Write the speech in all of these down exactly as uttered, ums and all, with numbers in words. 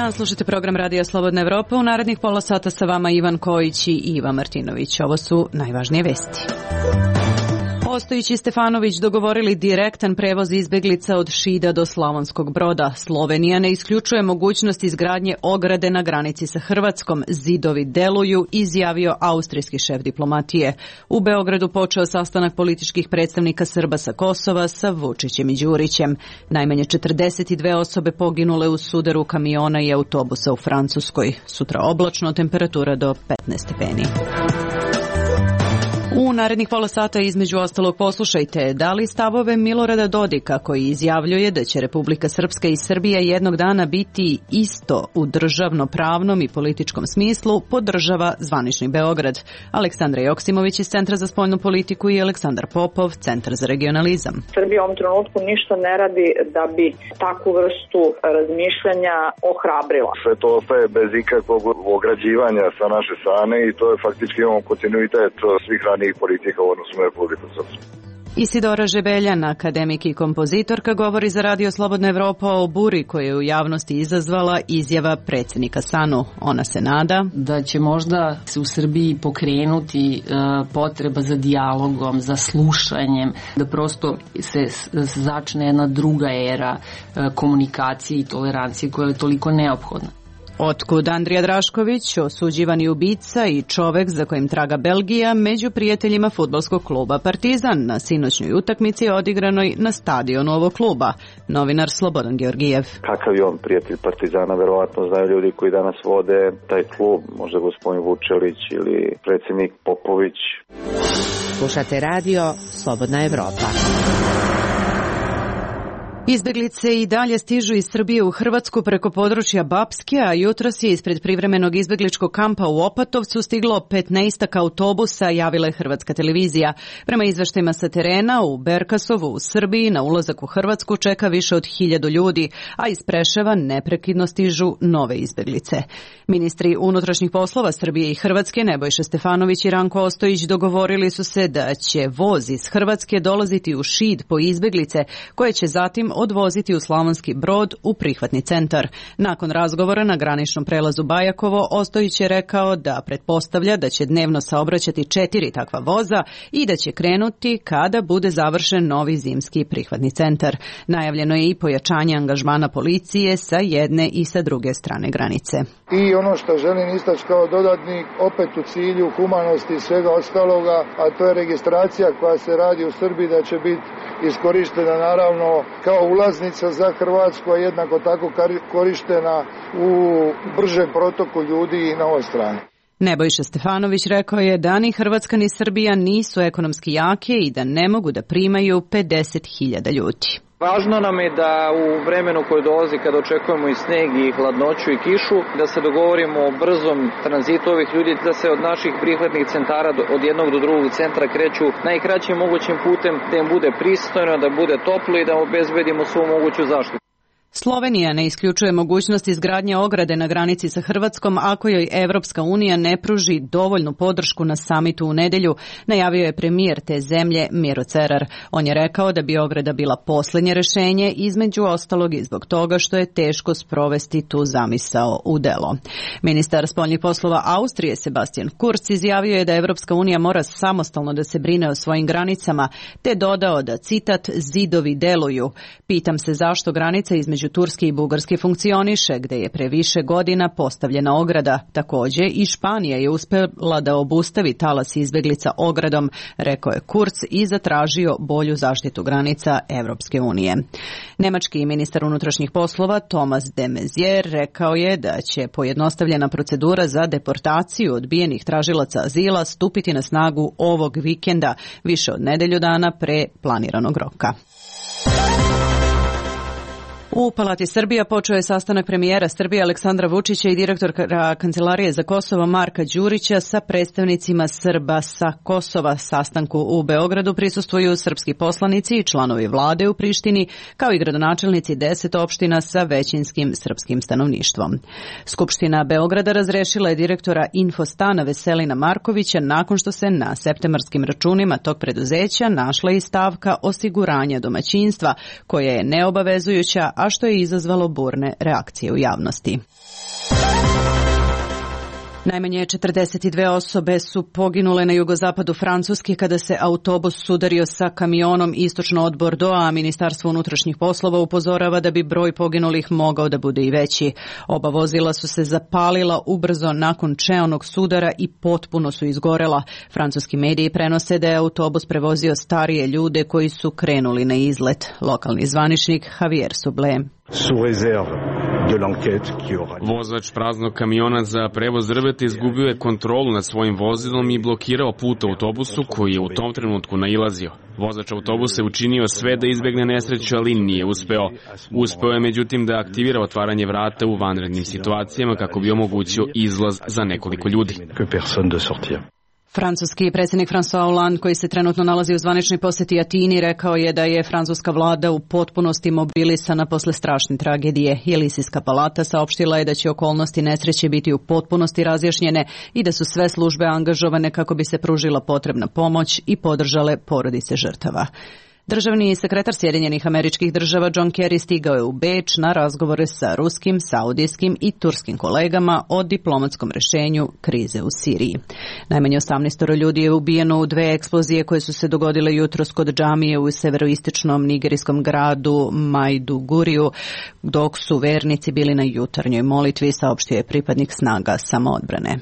dan, slušajte program Radija Slobodna Evropa. U narednih pola sata sa vama Ivan Kojić i Iva Martinović. Ovo su najvažnije vesti. Ostojić i Stefanović dogovorili direktan prevoz izbeglica od Šida do Slavonskog Broda. Slovenija ne isključuje mogućnost izgradnje ograde na granici sa Hrvatskom. Zidovi deluju, izjavio austrijski šef diplomatije. U Beogradu počeo sastanak političkih predstavnika Srba sa Kosova sa Vučićem i Đurićem. Najmanje četrdeset dve osobe poginule u sudaru kamiona i autobusa u Francuskoj. Sutra oblačno, temperatura do petnaest stepeni. U narednih pola sata između ostalog poslušajte da li stavove Milorada Dodika koji izjavljuje da će Republika Srpska i Srbija jednog dana biti isto u državno-pravnom i političkom smislu podržava zvanični Beograd. Aleksandra Joksimović iz Centra za spoljnu politiku i Aleksandar Popov, Centar za regionalizam. Srbija u ovom trenutku ništa ne radi da bi takvu vrstu razmišljanja ohrabrila. Sve to ostaje bez ikakvog ograđivanja sa naše strane i to je faktički imamo kontinuitet svih ranijih politika u odnosu na Republiku Srpsku. Isidora Žebeljan, akademik i kompozitorka, govori za Radio Slobodna Evropa o buri koju je u javnosti izazvala izjava predsjednika SANU. Ona se nada da će možda se u Srbiji pokrenuti uh, potreba za dijalogom, za slušanjem, da prosto se začne jedna druga era uh, komunikacije i tolerancije koja je toliko neophodna. Otkud Andrija Drašković, osuđivani ubica i čovek za kojim traga Belgija, među prijateljima fudbalskog kluba Partizan na sinoćnoj utakmici odigranoj na stadionu ovog kluba. Novinar Slobodan Georgijev. Kakav je on prijatelj Partizana, verovatno znaju ljudi koji danas vode taj klub, možda gospodin Vučelić ili predsjednik Popović. Slušate radio Slobodna Evropa. Izbeglice i dalje stižu iz Srbije u Hrvatsku preko područja Bapske, a jutros je ispred privremenog izbegličkog kampa u Opatovcu stiglo petnaestak autobusa, javila je Hrvatska televizija. Prema izveštajima sa terena, u Berkasovu u Srbiji na ulazak u Hrvatsku čeka više od hiljadu ljudi, a iz Preševa neprekidno stižu nove izbeglice. Ministri unutrašnjih poslova Srbije i Hrvatske Nebojša Stefanović i Ranko Ostojić dogovorili su se da će voz iz Hrvatske dolaziti u Šid po izbeglice, koje će zatim odvoziti u Slavonski Brod u prihvatni centar. Nakon razgovora na graničnom prelazu Bajakovo, Ostojić je rekao da pretpostavlja da će dnevno saobraćati četiri takva voza i da će krenuti kada bude završen novi zimski prihvatni centar. Najavljeno je i pojačanje angažmana policije sa jedne i sa druge strane granice. I ono što želim istaći kao dodatni, opet u cilju humanosti i svega ostaloga, a to je registracija koja se radi u Srbiji, da će biti iskorištena naravno kao ulaznica za Hrvatsku, a jednako tako korištena u bržem protoku ljudi i na ovoj strani. Nebojša Stefanović rekao je da ni Hrvatska ni Srbija nisu ekonomski jake i da ne mogu da primaju pedeset hiljada ljudi. Važno nam je da u vremenu koje dolazi, kada očekujemo i sneg i hladnoću i kišu, da se dogovorimo o brzom tranzitu ovih ljudi, da se od naših prihvatnih centara od jednog do drugog centra kreću najkraćim mogućim putem, da im bude pristojno, da bude toplo i da obezbedimo svu moguću zaštitu. Slovenija ne isključuje mogućnost izgradnje ograde na granici sa Hrvatskom ako joj Evropska unija ne pruži dovoljnu podršku na samitu u nedelju, najavio je premijer te zemlje Miro Cerar. On je rekao da bi ograda bila posljednje rešenje, između ostalog i zbog toga što je teško sprovesti tu zamisao u delo. Ministar spoljnih poslova Austrije Sebastian Kurz izjavio je da Evropska unija mora samostalno da se brine o svojim granicama, te dodao da, citat, zidovi deluju. Pitam se zašto granica između Turske i Bugarske funkcioniše, gde je pre više godina postavljena ograda. Također i Španija je uspela da obustavi talas izbeglica ogradom, rekao je Kurz i zatražio bolju zaštitu granica Evropske unije. Nemački ministar unutrašnjih poslova Thomas de Maizière rekao je da će pojednostavljena procedura za deportaciju odbijenih tražilaca azila stupiti na snagu ovog vikenda, više od nedelju dana pre planiranog roka. U Palati Srbija počeo je sastanak premijera Srbije Aleksandra Vučića i direktora Kancelarije za Kosovo Marka Đurića sa predstavnicima Srba sa Kosova. Sastanku u Beogradu prisustvuju srpski poslanici i članovi vlade u Prištini, kao i gradonačelnici deset opština sa većinskim srpskim stanovništvom. Skupština Beograda razrešila je direktora Infostana Veselina Markovića nakon što se na septembarskim računima tog preduzeća našla i stavka osiguranja domaćinstva, koja je neobavezujuća, a što je izazvalo burne reakcije u javnosti. Najmanje četrdeset dve osobe su poginule na jugozapadu Francuske kada se autobus sudario sa kamionom istočno od Bordeauxa, a Ministarstvo unutrašnjih poslova upozorava da bi broj poginulih mogao da bude i veći. Oba vozila su se zapalila ubrzo nakon čeonog sudara i potpuno su izgorela. Francuski mediji prenose da je autobus prevozio starije ljude koji su krenuli na izlet. Lokalni zvaničnik Javier Sublé. Vozač praznog kamiona za prevoz drveta izgubio je kontrolu nad svojim vozilom i blokirao put autobusu koji je u tom trenutku nailazio. Vozač autobusa je učinio sve da izbegne nesreću, ali nije uspeo. Uspeo je međutim da aktivira otvaranje vrata u vanrednim situacijama kako bi omogućio izlaz za nekoliko ljudi. Francuski predsjednik François Hollande, koji se trenutno nalazi u zvaničnoj posjeti Atini, rekao je da je francuska vlada u potpunosti mobilisana posle strašne tragedije. Elizijska palata saopštila je da će okolnosti nesreće biti u potpunosti razjašnjene i da su sve službe angažovane kako bi se pružila potrebna pomoć i podržale porodice žrtava. Državni sekretar Sjedinjenih Američkih Država John Kerry stigao je u Beč na razgovore sa ruskim, saudijskim i turskim kolegama o diplomatskom rešenju krize u Siriji. Najmanje osamnaest ljudi je ubijeno u dve eksplozije koje su se dogodile jutros kod džamije u severoistočnom nigerijskom gradu Maiduguriju, dok su vernici bili na jutarnjoj molitvi, saopštio je pripadnik snaga samoodbrane.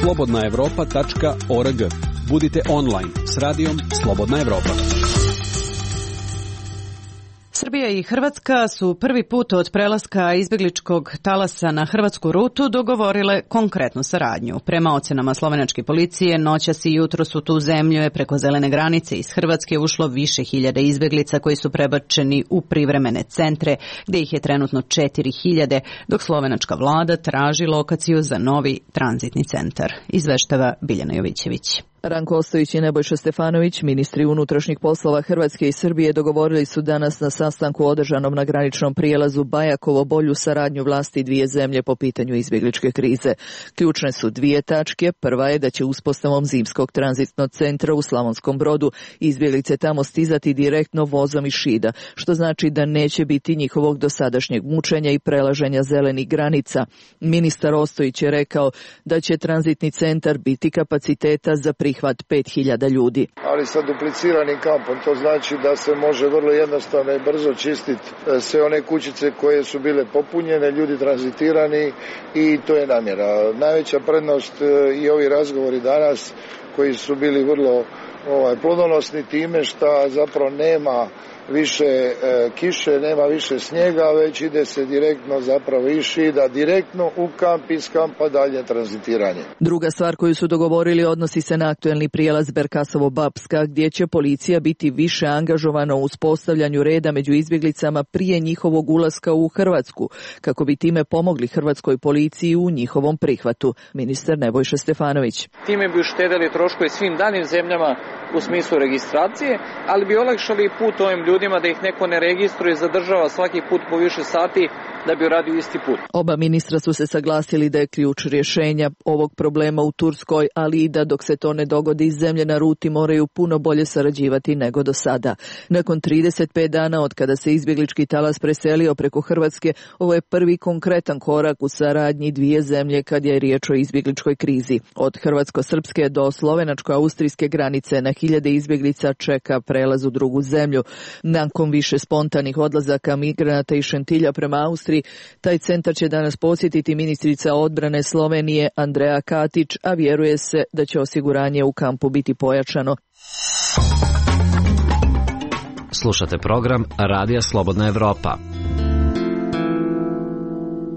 slobodna evropa tačka org. Budite online s radijom Slobodna Evropa. Srbija i Hrvatska su prvi put od prelaska izbjegličkog talasa na hrvatsku rutu dogovorile konkretnu saradnju. Prema ocenama slovenačke policije, noćas i jutros u tu zemlju je preko zelene granice iz Hrvatske ušlo više hiljada izbjeglica koji su prebačeni u privremene centre, gdje ih je trenutno četiri hiljade, dok slovenačka vlada traži lokaciju za novi tranzitni centar. Izveštava Biljana Jovićević. Ranko Ostojić i Nebojša Stefanović, ministri unutrašnjih poslova Hrvatske i Srbije, dogovorili su danas na sastanku održanom na graničnom prijelazu Bajakovo bolju saradnju vlasti dvije zemlje po pitanju izbjegličke krize. Ključne su dvije tačke. Prva je da će uspostavom zimskog tranzitnog centra u Slavonskom Brodu izbjeglice tamo stizati direktno vozom iz Šida, što znači da neće biti njihovog dosadašnjeg mučenja i prelaženja zelenih granica. Ministar Ostojić je rekao da će tranzitni centar biti kapaciteta za prihvat pet hiljada ljudi. Ali sa dupliciranim kampom, to znači da se može vrlo jednostavno i brzo čistiti sve one kućice koje su bile popunjene, ljudi tranzitirani i to je namjera. Najveća prednost i ovi razgovori danas koji su bili vrlo ovaj, plodonosni time što zapravo nema više e, kiše, nema više snijega, već ide se direktno zapravo iz Šida, direktno u kamp, iz kampa dalje tranzitiranje. Druga stvar koju su dogovorili odnosi se na aktuelni prijelaz Berkasovo-Bapska, gdje će policija biti više angažovana u uspostavljanju reda među izbjeglicama prije njihovog ulaska u Hrvatsku, kako bi time pomogli hrvatskoj policiji u njihovom prihvatu. Ministar Nebojša Stefanović. Time bi uštedeli troškove svim daljim zemljama u smislu registracije, ali bi olakšali put ovim ljudima da ih neko ne registruje i zadržava svaki put po više sati da bi uradio isti put. Oba ministra su se saglasili da je ključ rješenja ovog problema u Turskoj, ali i da dok se to ne dogodi zemlje na ruti moraju puno bolje sarađivati nego do sada. Nakon trideset pet dana od kada se izbjeglički talas preselio preko Hrvatske, ovo je prvi konkretan korak u saradnji dvije zemlje kad je riječ o izbjegličkoj krizi. Od hrvatsko-srpske do slovenačko-austrijske granice na hiljade izbjeglica čeka prelaz u drugu zemlju. Nakon više spontanih odlazaka migranata iz Šentilja prema Austriji, taj centar će danas posjetiti ministrica odbrane Slovenije Andreja Katić, a vjeruje se da će osiguranje u kampu biti pojačano. Slušate program Radija Slobodna Evropa.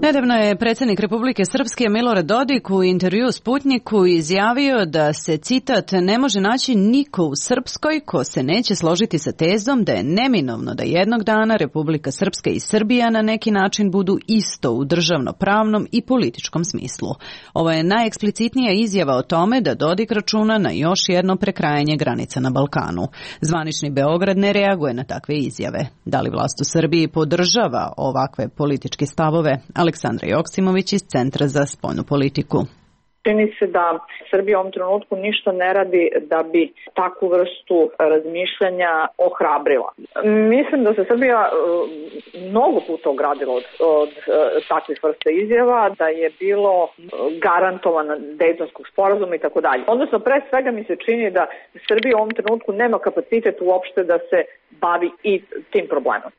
Nedavno je predsjednik Republike Srpske Milorad Dodik u intervju Sputniku izjavio da se, citat, ne može naći niko u Srpskoj ko se neće složiti sa tezom da je neminovno da jednog dana Republika Srpska i Srbija na neki način budu isto u državno-pravnom i političkom smislu. Ovo je najeksplicitnija izjava o tome da Dodik računa na još jedno prekrajanje granica na Balkanu. Zvanični Beograd ne reaguje na takve izjave. Da li vlast u Srbiji podržava ovakve političke stavove? Aleksandra Joksimović iz Centra za spoljnu politiku. Čini se da Srbija u ovom trenutku ništa ne radi da bi takvu vrstu razmišljanja ohrabrila. Mislim da se Srbija mnogo puta ogradila od, od takvih vrsta izjava, da je bilo garantovano Dejtonskog sporazuma i tako dalje. Odnosno, pre svega mi se čini da Srbija u ovom trenutku nema kapacitet uopšte da se bavi i tim problemom.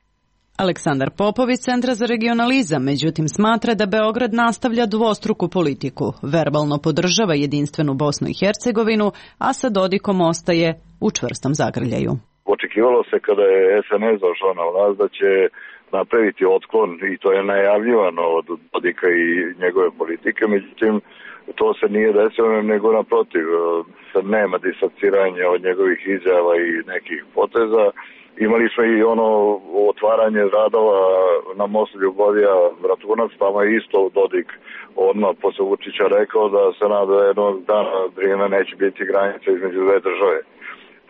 Aleksandar Popović, Centra za regionalizam, međutim smatra da Beograd nastavlja dvostruku politiku. Verbalno podržava jedinstvenu Bosnu i Hercegovinu, a sa Dodikom ostaje u čvrstom zagrljaju. Očekivalo se kada je es en es došao na vlast da će napraviti otklon i to je najavljivano od Dodika i njegove politike, međutim to se nije desilo, nego naprotiv, nema disociranja od njegovih izjava i nekih poteza. Imali smo i ono otvaranje radova na mostu Ljubovija Bratunac, tamo je isto Dodik odmah posle Vučića rekao da se nada da jednog dana vrijeme neće biti granica između dve države.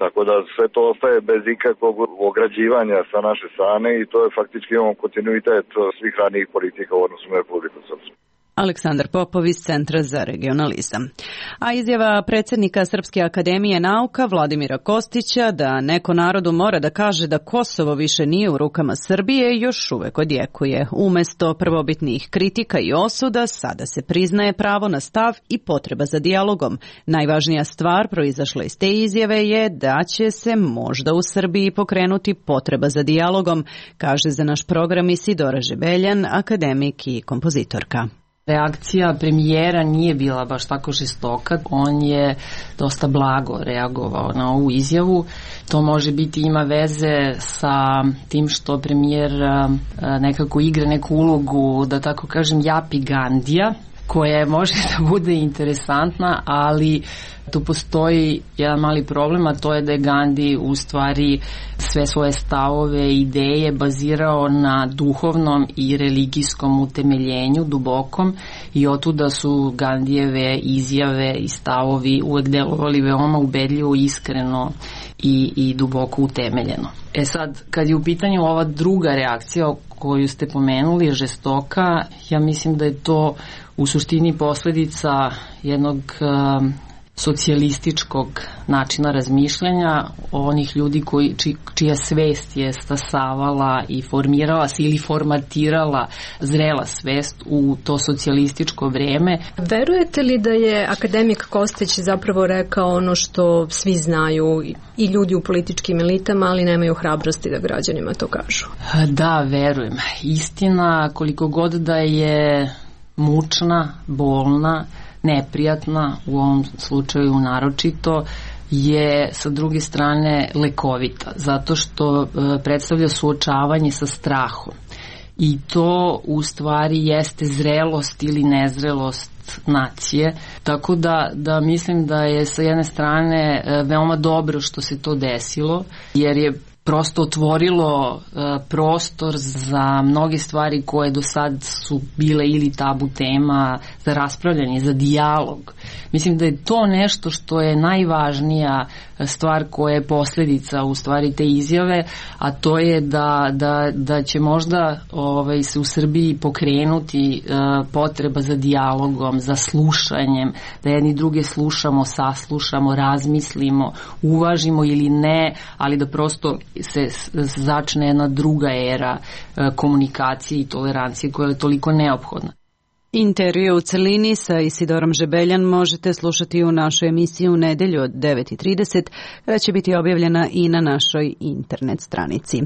Tako da sve to ostaje bez ikakvog ograđivanja sa naše strane i to je faktički imamo kontinuitet svih ranijih politika u odnosu na Republiku Srpsku. Aleksandar Popović, Centra za regionalizam. A izjava predsjednika Srpske akademije nauka Vladimira Kostića da neko narodu mora da kaže da Kosovo više nije u rukama Srbije još uvek odjekuje. Umesto prvobitnih kritika i osuda, sada se priznaje pravo na stav i potreba za dijalogom. Najvažnija stvar proizašla iz te izjave je da će se možda u Srbiji pokrenuti potreba za dijalogom, kaže za naš program Isidora Žebeljan, akademik i kompozitorka. Reakcija premijera nije bila baš tako žestoka, on je dosta blago reagovao na ovu izjavu. To može biti ima veze sa tim što premijer nekako igra neku ulogu, da tako kažem, Japi Gandija, koja može da bude interesantna, ali tu postoji jedan mali problem, a to je da je Gandhi u stvari sve svoje stavove i ideje bazirao na duhovnom i religijskom utemeljenju, dubokom, i otuda su Gandijeve izjave i stavovi uvek delovali veoma ubedljivo, iskreno i, i duboko utemeljeno. E sad, kad je u pitanju ova druga reakcija koju ste pomenuli, žestoka, ja mislim da je to u suštini posledica jednog uh, socijalističkog načina razmišljanja, onih ljudi koji, či, čija svest je stasavala i formirala se ili formatirala zrela svest u to socijalističko vreme. Verujete li da je akademik Kostić zapravo rekao ono što svi znaju i ljudi u političkim elitama, ali nemaju hrabrosti da građanima to kažu? Da, verujem. Istina, koliko god da je mučna, bolna, neprijatna, u ovom slučaju naročito, je sa druge strane lekovita, zato što e, predstavlja suočavanje sa strahom. I to u stvari jeste zrelost ili nezrelost nacije, tako da, da mislim da je sa jedne strane e, veoma dobro što se to desilo, jer je prosto otvorilo uh, prostor za mnoge stvari koje do sad su bile ili tabu tema, za raspravljanje, za dijalog. Mislim da je to nešto što je najvažnija stvar koja je posljedica u stvari te izjave, a to je da, da, da će možda ovaj, se u Srbiji pokrenuti uh, potreba za dijalogom, za slušanjem, da jedni druge slušamo, saslušamo, razmislimo, uvažimo ili ne, ali da prosto se začne jedna druga era komunikacije i tolerancije koja je toliko neophodna. Intervju u celini sa Isidorom Žebeljan možete slušati u našoj emisiji u nedelju od devet i trideset, koja će biti objavljena i na našoj internet stranici.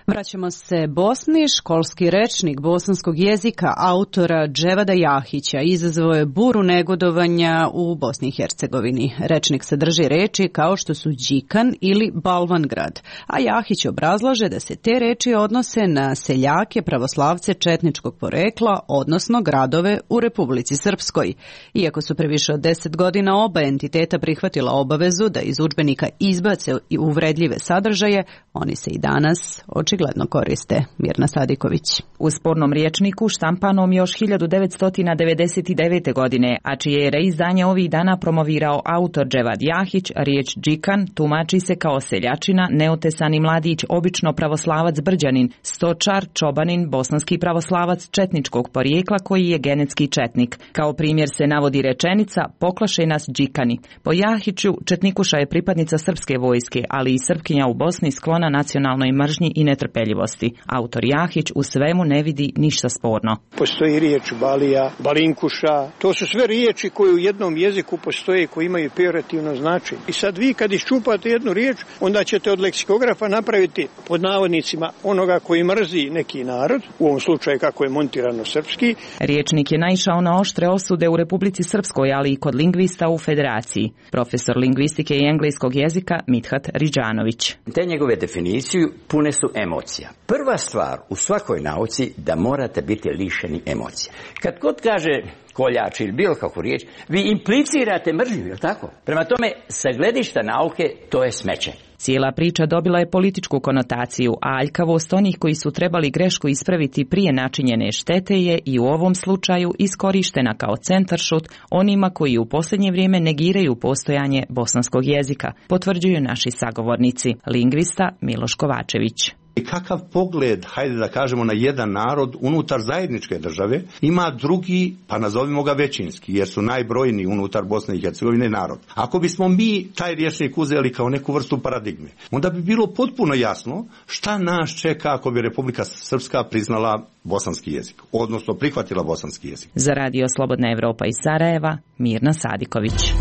Vraćamo se Bosni. Školski rečnik bosanskog jezika autora Dževada Jahića izazvao je buru negodovanja u Bosni i Hercegovini. Rečnik sadrži reči kao što su Đikan ili Balvangrad, a Jahić obrazlaže da se te reči odnose na seljake, pravoslavce četničkog porekla, odnosno gradove u Republici Srpskoj. Iako su previše od deset godina oba entiteta prihvatila obavezu da iz udžbenika izbace uvredljive sadržaje, oni se i danas očigledno očigledno koriste. Mirna Sadiković. U spornom rječniku štampanom još hiljadu devetsto devedeset devete. godine, a čije je reizdanje ovih dana promovirao autor Dževad Jahić, riječ džikan tumači se kao seljačina, neotesani mladić, obično pravoslavac Brđanin, stočar, čobanin, bosanski pravoslavac četničkog porijekla koji je genetski četnik. Kao primjer se navodi rečenica poklaše nas džikani. Po Jahiću, četnikuša je pripadnica srpske vojske, ali i Srpkinja u Bosni sklona nacionalnoj mržnji i netrpeljivosti. Autor Jahić u svemu ne vidi ništa sporno. Postoji riječ balija, balinkuša, to su sve riječi koje u jednom jeziku postoje, koji imaju pejorativno značenje. I sad vi kad iščupate jednu riječ, onda ćete od leksikografa napraviti pod navodnicima onoga koji mrzi neki narod, u ovom slučaju kako je montirano srpski. Riječnik je naišao na oštre osude u Republici Srpskoj, ali i kod lingvista u Federaciji. Profesor lingvistike i engleskog jezika Mithat Riđanović. Te njegove definiciju pune su emocija. Prva stvar u svakoj nauci da morate biti lišeni emocija. Kad god kaže koljač ili bilo kakvu riječ, vi implicirate mržnju, je li tako? Prema tome, sa gledišta nauke, to je smeće. Cijela priča dobila je političku konotaciju, a aljkavost onih koji su trebali grešku ispraviti prije načinjene štete je i u ovom slučaju iskorištena kao centaršut onima koji u posljednje vrijeme negiraju postojanje bosanskog jezika, potvrđuju naši sagovornici, lingvista Miloš Kovačević. I kakav pogled, hajde da kažemo, na jedan narod unutar zajedničke države ima drugi, pa nazovimo ga većinski, jer su najbrojniji unutar Bosne i Hercegovine narod. Ako bismo mi taj rječnik uzeli kao neku vrstu paradigme, onda bi bilo potpuno jasno šta nas čeka ako bi Republika Srpska priznala bosanski jezik, odnosno prihvatila bosanski jezik. Za Radio Slobodna Evropa iz Sarajeva, Mirna Sadiković.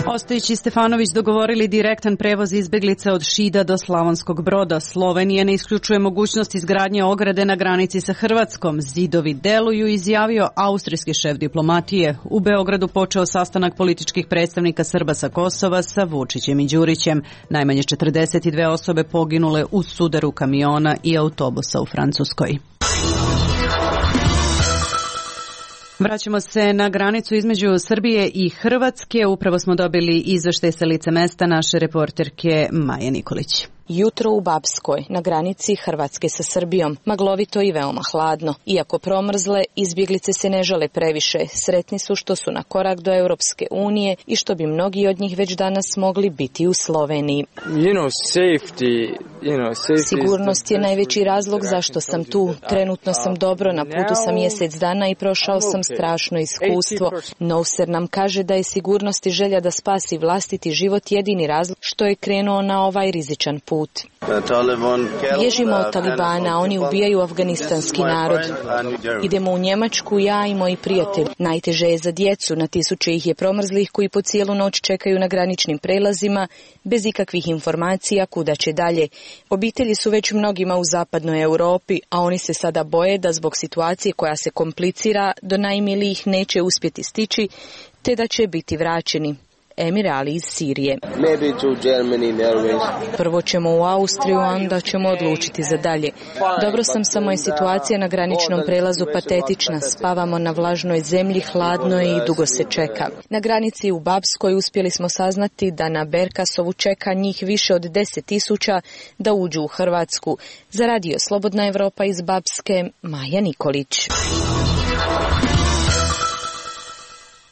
Ostojić i Stefanović dogovorili direktan prevoz izbjeglica od Šida do Slavonskog Broda. Slovenija ne isključuje mogućnost izgradnje ograde na granici sa Hrvatskom. Zidovi deluju, izjavio austrijski šef diplomatije. U Beogradu počeo sastanak političkih predstavnika Srba sa Kosova sa Vučićem i Đurićem. Najmanje četrdeset dvije osobe poginule u sudaru kamiona i autobusa u Francuskoj. Vraćamo se na granicu između Srbije i Hrvatske. Upravo smo dobili izveštaj sa lica mesta naše reporterke Maje Nikolić. Jutro u Bapskoj, na granici Hrvatske sa Srbijom, maglovito i veoma hladno. Iako promrzle, izbjeglice se ne žale previše. Sretni su što su na korak do Europske unije i što bi mnogi od njih već danas mogli biti u Sloveniji. You know, safety, you know, safety Sigurnost je najveći razlog zašto sam tu. Trenutno sam dobro, na putu sam mjesec dana i prošao sam strašno iskustvo. Nouser nam kaže da je sigurnost i želja da spasi vlastiti život jedini razlog što je krenuo na ovaj rizičan put. Bježimo od Talibana, oni ubijaju afganistanski narod. Idemo u Njemačku, ja i moji prijatelji. Najteže je za djecu, na tisuće ih je promrzlih koji po cijelu noć čekaju na graničnim prelazima, bez ikakvih informacija kuda će dalje. Obitelji su već mnogima u zapadnoj Europi, a oni se sada boje da zbog situacije koja se komplicira do najmilijih neće uspjeti stići, te da će biti vraćeni. Emir Ali iz Sirije. Prvo ćemo u Austriju, a onda ćemo odlučiti za dalje. Dobro sam, samo je situacija na graničnom prelazu patetična. Spavamo na vlažnoj zemlji, hladno je i dugo se čeka. Na granici u Bapskoj uspjeli smo saznati da na Berkasovu čeka njih više od deset tisuća da uđu u Hrvatsku. Za Radio Slobodna Evropa iz Bapske, Maja Nikolić.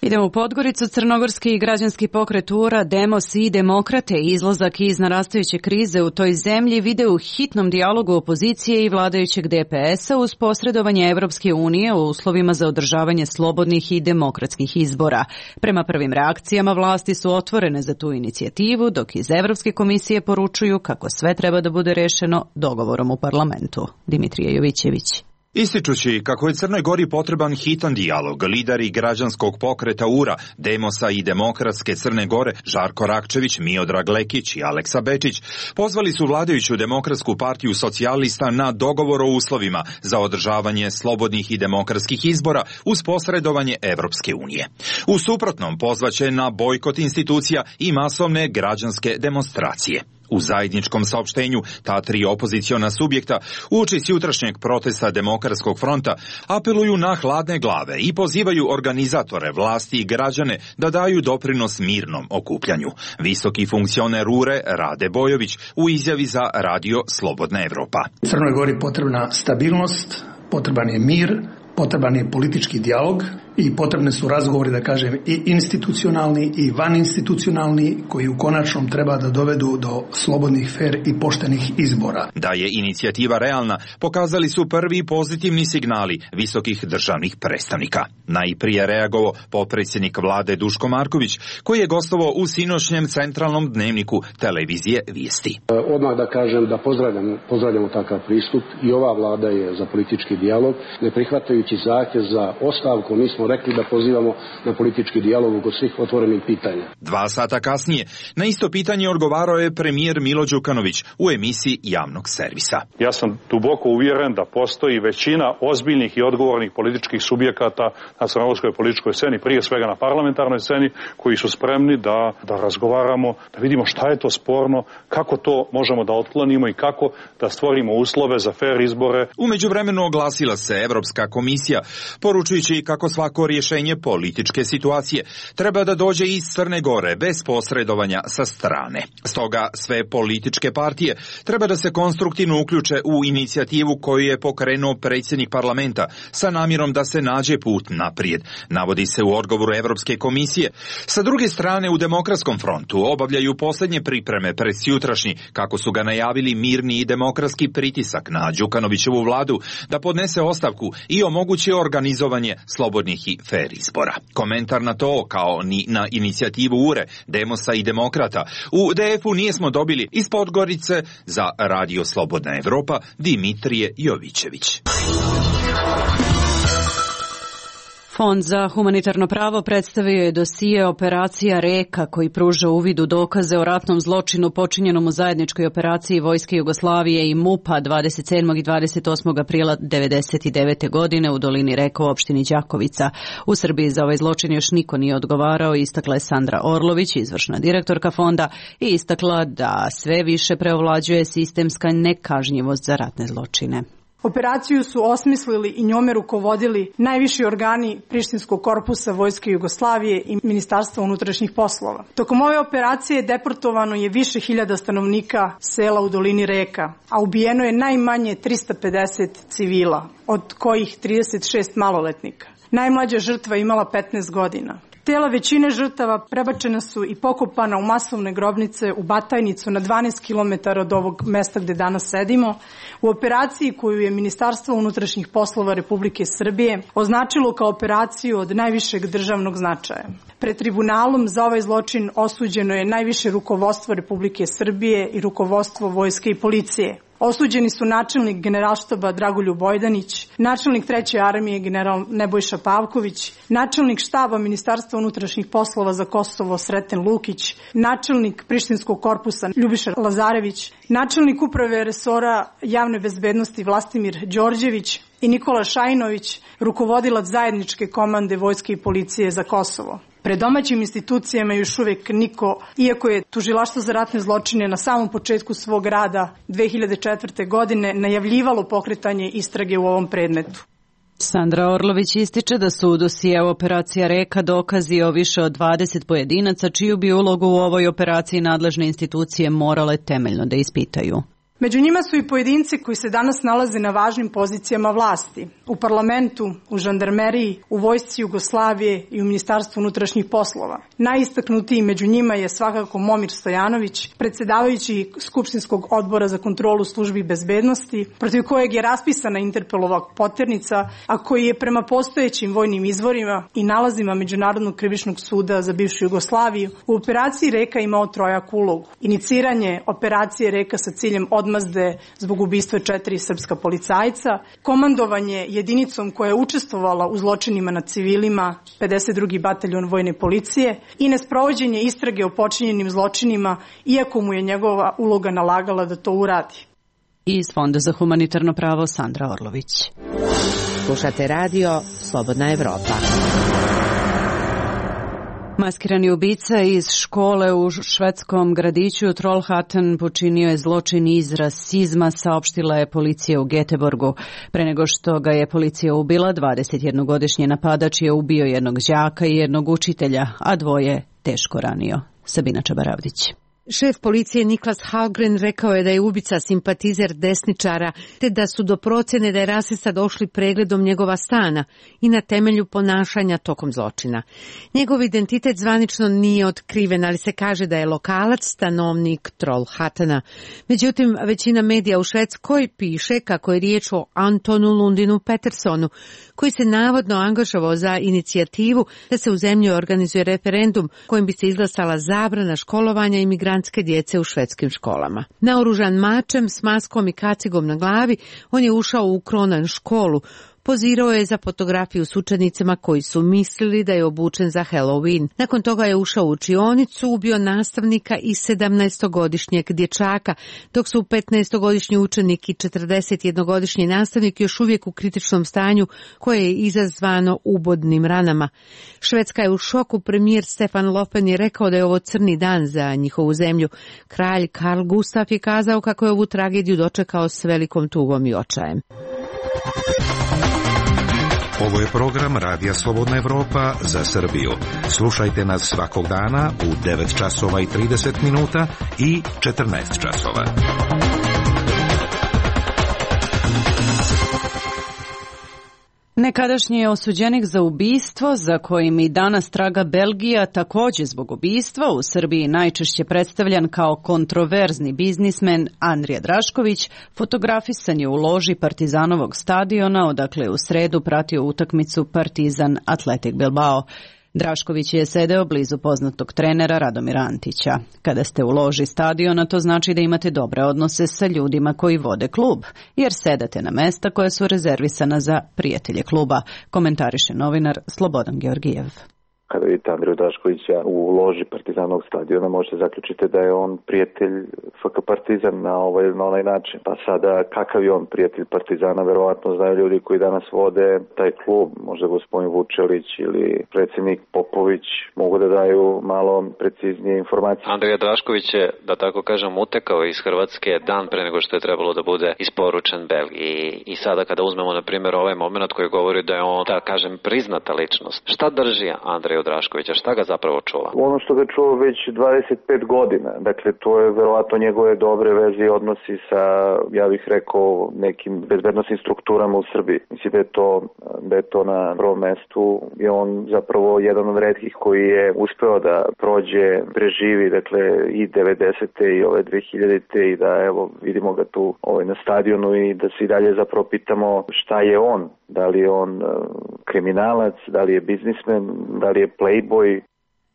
Idemo u Podgoricu. Crnogorski i građanski pokret U R A, Demos i Demokrate izlazak iz narastajuće krize u toj zemlji vide u hitnom dijalogu opozicije i vladajućeg D P S-a uz posredovanje Evropske unije u uslovima za održavanje slobodnih i demokratskih izbora. Prema prvim reakcijama vlasti su otvorene za tu inicijativu, dok iz Evropske komisije poručuju kako sve treba da bude rešeno dogovorom u parlamentu. Dimitrije Jovićević. Ističući kako je Crnoj Gori potreban hitan dijalog, lideri građanskog pokreta U R A, Demosa i Demokratske Crne Gore, Žarko Rakčević, Miodrag Lekić i Aleksa Bečić, pozvali su vladajuću Demokratsku partiju socijalista na dogovor o uslovima za održavanje slobodnih i demokratskih izbora uz posredovanje Evropske unije. U suprotnom pozvaće na bojkot institucija i masovne građanske demonstracije. U zajedničkom saopštenju ta tri opoziciona subjekta uoči jutrašnjeg protesta Demokratskog fronta apeluju na hladne glave i pozivaju organizatore, vlasti i građane da daju doprinos mirnom okupljanju. Visoki funkcioner U R E Rade Bojović u izjavi za Radio Slobodna Evropa. Crnoj Gori potrebna stabilnost, potreban je mir, potreban je politički dijalog i potrebne su razgovori, da kažem, i institucionalni i vaninstitucionalni, koji u konačnom treba da dovedu do slobodnih, fer i poštenih izbora. Da je inicijativa realna, pokazali su prvi pozitivni signali visokih državnih predstavnika. Najprije reagovao potpredsjednik vlade Duško Marković, koji je gostovao u sinoćnjem centralnom dnevniku televizije Vijesti. Odmah da kažem da pozdravljamo, pozdravljamo takav pristup i ova vlada je za politički dijalog, ne prihvatajući zahtjev za ostavku. Mi smo rekli da pozivamo na politički dijalog oko svih otvorenih pitanja. Dva sata kasnije na isto pitanje odgovarao je premijer Milo Đukanović u emisiji javnog servisa. Ja sam duboko uvjeren da postoji većina ozbiljnih i odgovornih političkih subjekata na crnogorskoj političkoj sceni, prije svega na parlamentarnoj sceni, koji su spremni da, da razgovaramo, da vidimo šta je to sporno, kako to možemo da otklonimo i kako da stvorimo uslove za fer izbore. U međuvremenu oglasila se Evropska komisija, poručujući kako svako rješenje političke situacije treba da dođe iz Crne Gore bez posredovanja sa strane. Stoga sve političke partije treba da se konstruktivno uključe u inicijativu koju je pokrenuo predsjednik parlamenta sa namjerom da se nađe put naprijed, navodi se u odgovoru Evropske komisije. Sa druge strane, u Demokratskom frontu obavljaju posljednje pripreme pred sutrašnji, kako su ga najavili, mirni i demokratski pritisak na Đukanovićevu vladu da podnese ostavku i omogući organizovanje slobodnih i fer izbora. Komentar na to, kao ni na inicijativu U R E, Demosa i Demokrata, u D F-u nismo dobili iz Podgorice za Radio Slobodna Evropa Dimitrije Jovićević. Fond za humanitarno pravo predstavio je dosije operacija Reka, koji pruža uvid u dokaze o ratnom zločinu počinjenom u zajedničkoj operaciji Vojske Jugoslavije i MUP-a dvadeset sedmog i dvadeset osmog aprila devedeset devete. godine u dolini Reka u opštini Đakovica. U Srbiji za ovaj zločin još niko nije odgovarao, istakla je Sandra Orlović, izvršna direktorka fonda, i istakla da sve više preovlađuje sistemska nekažnjivost za ratne zločine. Operaciju su osmislili i njome rukovodili najviši organi Prištinskog korpusa Vojske Jugoslavije i Ministarstva unutrašnjih poslova. Tokom ove operacije deportovano je više hiljada stanovnika sela u dolini Reka, a ubijeno je najmanje trista pedeset civila, od kojih trideset šest maloletnika. Najmlađa žrtva imala petnaest godina. Tela većine žrtava prebačena su i pokopana u masovne grobnice u Batajnicu na dvanaest kilometara od ovog mesta gde danas sedimo, u operaciji koju je Ministarstvo unutrašnjih poslova Republike Srbije označilo kao operaciju od najvišeg državnog značaja. Pred tribunalom za ovaj zločin osuđeno je najviše rukovodstvo Republike Srbije i rukovodstvo vojske i policije. Osuđeni su načelnik generalštaba Dragoljub Bojdanić, načelnik treće armije general Nebojša Pavković, načelnik štaba Ministarstva unutrašnjih poslova za Kosovo Sreten Lukić, načelnik Prištinskog korpusa Ljubiša Lazarević, načelnik uprave resora javne bezbednosti Vlastimir Đorđević i Nikola Šajinović, rukovodilac zajedničke komande vojske i policije za Kosovo. Pred domaćim institucijama još uvijek niko, iako je Tužilaštvo za ratne zločine na samom početku svog rada dve hiljade četvrte. godine najavljivalo pokretanje istrage u ovom predmetu. Sandra Orlović ističe da su u dosijeu operacija Reka dokazi o više od dvadeset pojedinaca čiju bi ulogu u ovoj operaciji nadležne institucije morale temeljno da ispitaju. Među njima su i pojedinci koji se danas nalaze na važnim pozicijama vlasti, u parlamentu, u žandarmeriji, u vojsci Jugoslavije i u Ministarstvu unutrašnjih poslova. Najistaknutiji među njima je svakako Momir Stojanović, predsjedavajući Skupštinskog odbora za kontrolu službi bezbednosti, protiv kojeg je raspisana Interpelova poternica, a koji je prema postojećim vojnim izvorima i nalazima Međunarodnog krivičnog suda za bivšu Jugoslaviju u operaciji Reka imao trojaku ulogu. Iniciranje operacije Reka sa ciljem odmazde zbog ubistva četiri srpska policajca, komandovanje jedinicom koja je učestvovala u zločinima nad civilima, pedeset drugi bataljon vojne policije, i nesprovođenje istrage o počinjenim zločinima, iako mu je njegova uloga nalagala da to uradi. Iz Fonda za humanitarno pravo Sandra Orlović. Slušate radio Slobodna Evropa. Maskirani ubica iz škole u švedskom gradiću Trollhättan počinio je zločin iz rasizma, saopštila je policija u Göteborgu. Pre nego što ga je policija ubila, dvadesetjednogodišnji napadač je ubio jednog đaka i jednog učitelja, a dvoje teško ranio. Sabina Čabaravdić. Šef policije Niklas Hallgren rekao je da je ubica simpatizer desničara, te da su do procjene da je rasista došli pregledom njegova stana i na temelju ponašanja tokom zločina. Njegov identitet zvanično nije otkriven, ali se kaže da je lokalac, stanovnik Trollhättana. Međutim, većina medija u Švedskoj piše kako je riječ o Antonu Lundinu Petersonu, koji se navodno angažovao za inicijativu da se u zemlji organizuje referendum kojim bi se izglasala zabrana školovanja imigrantske djece u švedskim školama. Naoružan mačem s maskom i kacigom na glavi, on je ušao u Kronan školu. Pozirao je za fotografiju s učenicima koji su mislili da je obučen za Halloween. Nakon toga je ušao u učionicu, ubio nastavnika i sedamnaestogodišnjeg dječaka, dok su petnaestogodišnji učenik i četrdesetjednogodišnji nastavnik još uvijek u kritičnom stanju koje je izazvano ubodnim ranama. Švedska je u šoku, premijer Stefan Löfven je rekao da je ovo crni dan za njihovu zemlju. Kralj Karl Gustaf je kazao kako je ovu tragediju dočekao s velikom tugom i očajem. Ovo je program Radija Slobodna Evropa za Srbiju. Slušajte nas svakog dana u devet časova i trideset minuta i četrnaest časova. Nekadašnji osuđenik za ubistvo, za kojim i danas traga Belgija, također zbog ubistva, u Srbiji najčešće predstavljan kao kontroverzni biznismen Andrija Drašković, fotografisan je u loži Partizanovog stadiona, odakle je u sredu pratio utakmicu Partizan Atletik Bilbao. Drašković je sedeo blizu poznatog trenera Radomira Antića. Kada ste u loži stadiona, to znači da imate dobre odnose sa ljudima koji vode klub, jer sedate na mesta koja su rezervisana za prijatelje kluba, komentariše novinar Slobodan Georgijev. Kada vidite Andriju Draškovića u loži Partizanovog stadiona, možete zaključiti da je on prijatelj F K Partizan na ovaj na onaj način. Pa sada, kakav je on prijatelj Partizana, verovatno znaju ljudi koji danas vode taj klub, možda gospodin Vučelić ili predsjednik Popović, mogu da daju malo preciznije informacije. Andrija Drašković je, da tako kažem, utekao iz Hrvatske dan pre nego što je trebalo da bude isporučen Belgiji. I sada kada uzmemo, na primjer, ovaj moment koji govori da je on, da kažem, priznata ličnost. Šta drži Andriju Draškovića, šta ga zapravo čuva? Ono što ga čuva već dvadeset pet godina, dakle to je verovatno njegove dobre veze i odnosi sa, ja bih rekao, nekim bezbednosnim strukturama u Srbiji. Mislim da je to, da je to na prvom mestu i on zapravo jedan od retkih koji je uspeo da prođe, preživi, dakle i devedesete i ove dve hiljadite i da evo vidimo ga tu ovaj, na stadionu i da se i dalje zapravo pitamo šta je on, da li je on kriminalac, da li je biznismen, da li je playboy.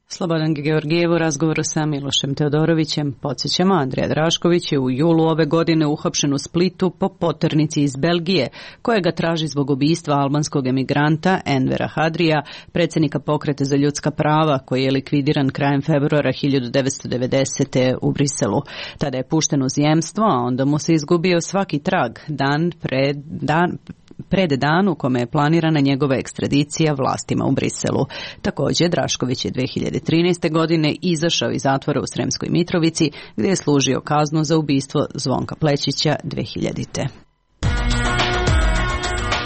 Slobodan Georgijev u razgovoru sa Milošem Teodorovićem. Podsjećamo, Andrija Drašković je u julu ove godine uhapšen u Splitu po poternici iz Belgije, koja ga traži zbog ubistva albanskog emigranta Envera Hadrija, predsjednika Pokreta za ljudska prava, koji je likvidiran krajem februara hiljadu devetsto devedesete. u Briselu. Tada je pušten u zemstvo, a onda mu se izgubio svaki trag, dan pred dan pred dan u kome je planirana njegova ekstradicija vlastima u Briselu. Također, Drašković je dve hiljade trinaeste. godine izašao iz zatvora u Sremskoj Mitrovici, gdje je služio kaznu za ubistvo Zvonka Plečića dve hiljadite.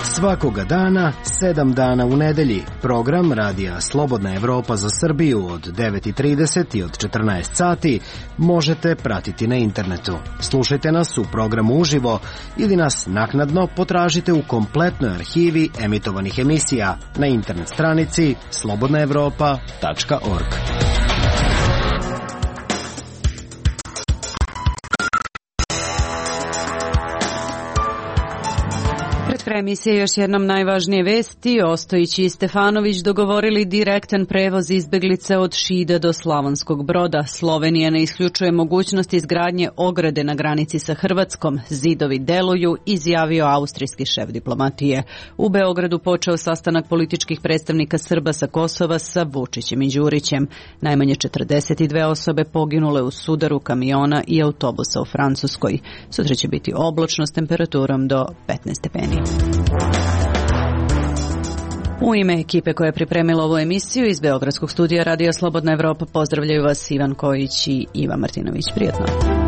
Svakoga dana, sedam dana u nedelji. Program Radija Slobodna Evropa za Srbiju od devet i trideset i od četrnaest sati možete pratiti na internetu. Slušajte nas u programu uživo ili nas naknadno potražite u kompletnoj arhivi emitovanih emisija na internet stranici slobodna evropa tačka org. Kraj emisije još jednom najvažnije vesti. Ostojić i Stefanović dogovorili direktan prevoz izbeglica od Šida do Slavonskog Broda. Slovenija ne isključuje mogućnost izgradnje ograde na granici sa Hrvatskom. Zidovi deluju, izjavio austrijski šef diplomatije. U Beogradu počeo sastanak političkih predstavnika Srba sa Kosova sa Vučićem i Đurićem. Najmanje četrdeset dve osobe poginule u sudaru kamiona i autobusa u Francuskoj. Sutra će biti oblačno s temperaturom do petnaest stepeni. U ime ekipe koja je pripremila ovu emisiju iz Beogradskog studija Radio Slobodna Evropa pozdravljaju vas Ivan Kojić i Iva Martinović. Prijatno.